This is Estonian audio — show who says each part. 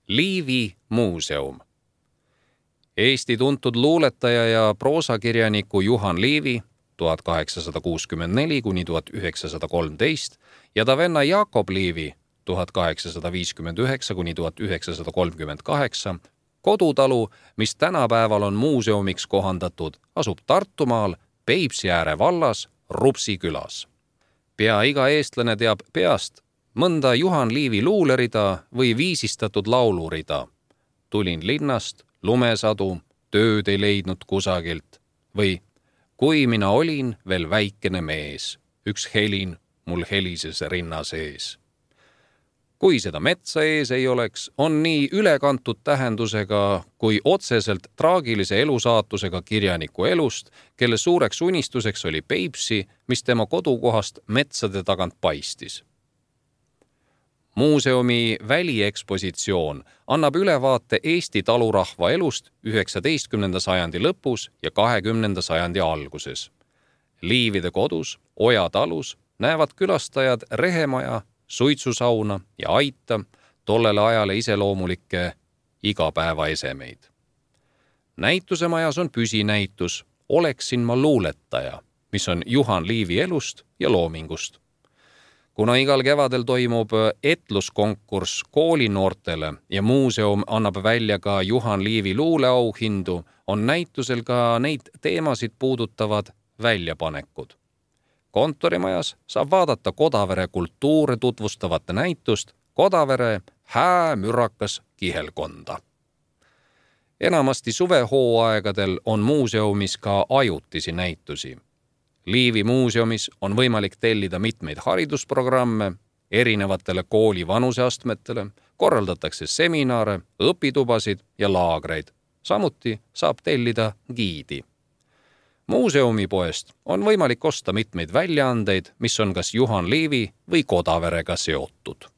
Speaker 1: Liivi muuseum. Eesti tuntud luuletaja ja proosakirjaniku Juhan Liivi 1864–1913 ja ta venna Jakob Liivi 1859–1938 kodutalu, mis tänapäeval on muuseumiks kohandatud, asub Tartumaal Peipsiääre vallas Rupsi külas. Pea iga eestlane teab peast mõnda Juhan Liivi luulerida või viisistatud laulurida. Tulin linnast, lumesadu, tööd ei leidnud kusagilt või kui mina olin veel väikene mees, üks helin mul helises rinna sees. Kui seda metsa ees ei oleks, on nii ülekantud tähendusega kui otseselt traagilise elusaatusega kirjaniku elust, kelle suureks unistuseks oli Peipsi, mis tema kodukohast metsade tagant paistis. Muuseumi väliekspositsioon annab ülevaate Eesti talurahva elust 19. sajandi lõpus ja 20. sajandi alguses. Liivide kodus, Oja talus näevad külastajad rehemaja, suitsusauna ja aita, tollele ajale iseloomulikke igapäevaesemeid. Näitusemajas on püsinäitus Oleksin ma luuletaja, mis on Juhan Liivi elust ja loomingust. Kuna igal kevadel toimub etluskonkurss koolinoortele ja muuseum annab välja ka Juhan Liivi luuleauhindu, on näitusel ka neid teemasid puudutavad väljapanekud. Kontorimajas saab vaadata Kodavere kultuure tutvustavat näitust Kodavere häämürakas kihelkonda. Enamasti suvehooaegadel on muuseumis ka ajutisi näitusi. Liivi muuseumis on võimalik tellida mitmeid haridusprogramme erinevatele kooli vanuseastmetele, korraldatakse seminare, õpitubasid ja laagreid. Samuti saab tellida giidi. Muuseumipoest on võimalik osta mitmeid väljaandeid, mis on kas Juhan Liivi või Kodaverega seotud.